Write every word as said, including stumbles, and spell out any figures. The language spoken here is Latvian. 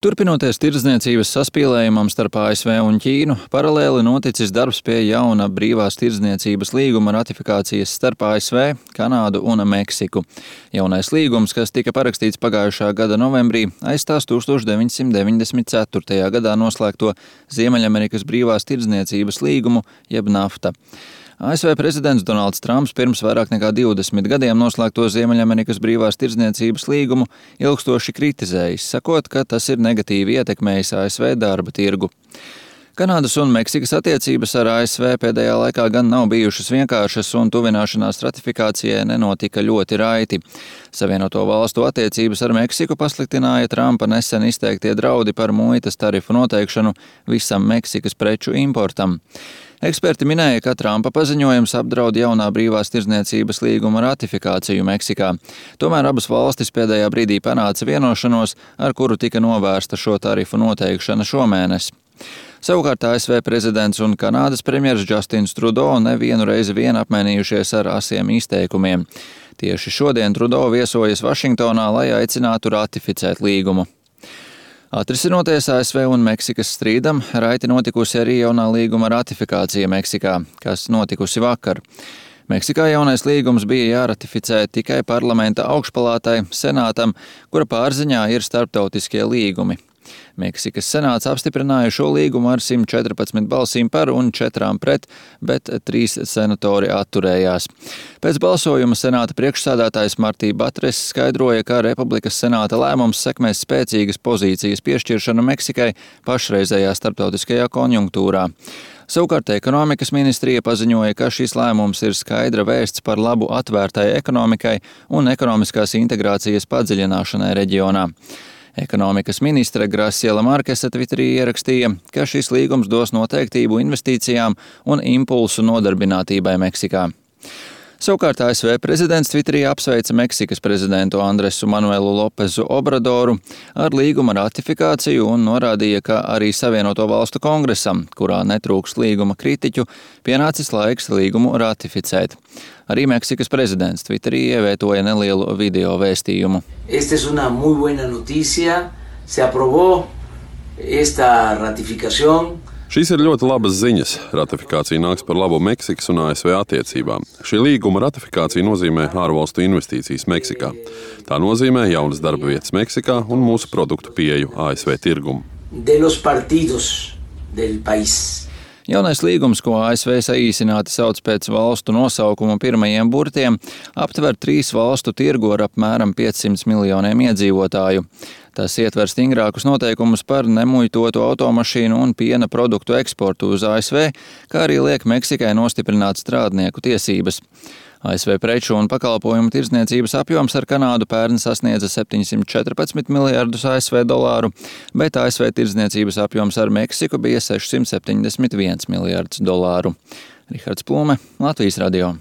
Turpinoties tirdzniecības saspīlējumam starp A S V un Ķīnu, paralēli noticis darbs pie jauna brīvās tirdzniecības līguma ratifikācijas starp A S V, Kanādu un Meksiku. Jaunais līgums, kas tika parakstīts pagājušā gada novembrī, aizstās deviņdesmit deviņdesmit ceturtajā gadā noslēgto Ziemeļamerikas brīvās tirdzniecības līgumu, jeb NAFTA. A S V prezidents Donalds Trumps pirms vairāk nekā divdesmit gadiem noslēgto Ziemeļamerikas brīvās tirdzniecības līgumu ilgstoši kritizējis, sakot, ka tas ir negatīvi ietekmējis A S V darba tirgu. Kanādas un Meksikas attiecības ar A S V pēdējā laikā gan nav bijušas vienkāršas un tuvināšanās ratifikācijai nenotika ļoti raiti. Savienoto valstu attiecības ar Meksiku pasliktināja Trumpa nesen izteiktie draudi par muitas tarifu noteikšanu visam Meksikas preču importam. Eksperti minēja, ka Trumpa paziņojums apdraud jaunā brīvās tirdzniecības līguma ratifikāciju Meksikā. Tomēr abas valstis pēdējā brīdī panāca vienošanos, ar kuru tika novērsta šo tarifu noteikšana šomēnes. Savukārt A S V prezidents un Kanādas premjers Justins Trudeau nevienu reizi vien apmainījušies ar asiem izteikumiem. Tieši šodien Trudeau viesojas Vašingtonā, lai aicinātu ratificēt līgumu. Atrisinoties A S V un Meksikas strīdam, raiti notikusi arī jaunā līguma ratifikācija Meksikā, kas notikusi vakar. Meksikā jaunais līgums bija jāratificē tikai parlamenta augšpalātai, senātam, kura pārziņā ir starptautiskie līgumi. Meksikas senāts apstiprināja šo līgumu ar simt četrpadsmit balsīm par un četrām pret, bet trīs senatori atturējās. Pēc balsojuma senāta priekšsēdētājs Martī Batres skaidroja, ka Republikas senāta lēmums sekmēs spēcīgas pozīcijas piešķiršanu Meksikai pašreizējā starptautiskajā konjunktūrā. Savukārt ekonomikas ministrija paziņoja, ka šis lēmums ir skaidra vēsts par labu atvērtai ekonomikai un ekonomiskās integrācijas padziļināšanai reģionā. Ekonomikas ministre Graciela Markese Twitterī ierakstīja, ka šis līgums dos noteiktību investīcijām un impulsu nodarbinātībai Meksikā. Savukārt A S V prezidents Twitterī apsveica Meksikas prezidentu Andresu Manuelu Lopezu Obradoru ar līguma ratifikāciju un norādīja, ka arī Savienoto valstu kongresam, kurā netrūkst līguma kritiķu, pienācis laiks līgumu ratificēt. Arī Meksikas prezidents Twitterī ievietoja nelielu video vēstījumu. Esta es una muy buena noticia. Se aprobó esta ratificación. Šīs ir ļoti labas ziņas. Ratifikācija nāks par labu Meksikas un A S V attiecībām. Šī līguma ratifikācija nozīmē ārvalstu investīcijas Meksikā. Tā nozīmē jaunas darba vietas Meksikā un mūsu produktu pieeju A S V tirgumu. De los partidos del país. Jaunais līgums, ko A S V saīsināti sauc pēc valstu nosaukuma pirmajiem burtiem, aptver trīs valstu tirgu ar apmēram piecsimt miljoniem iedzīvotāju. Tas ietver stingrākus noteikumus par nemuitotu automašīnu un piena produktu eksportu uz A S V, kā arī liek Meksikai nostiprināt strādnieku tiesības. A S V preču un pakalpojumu tirdzniecības apjoms ar Kanādu pērn sasniedza septiņsimt četrpadsmit miljardus A S V dolāru, bet A S V tirdzniecības apjoms ar Meksiku bija sešsimt septiņdesmit viens miljards dolāru. Rihards Plume, Latvijas radio.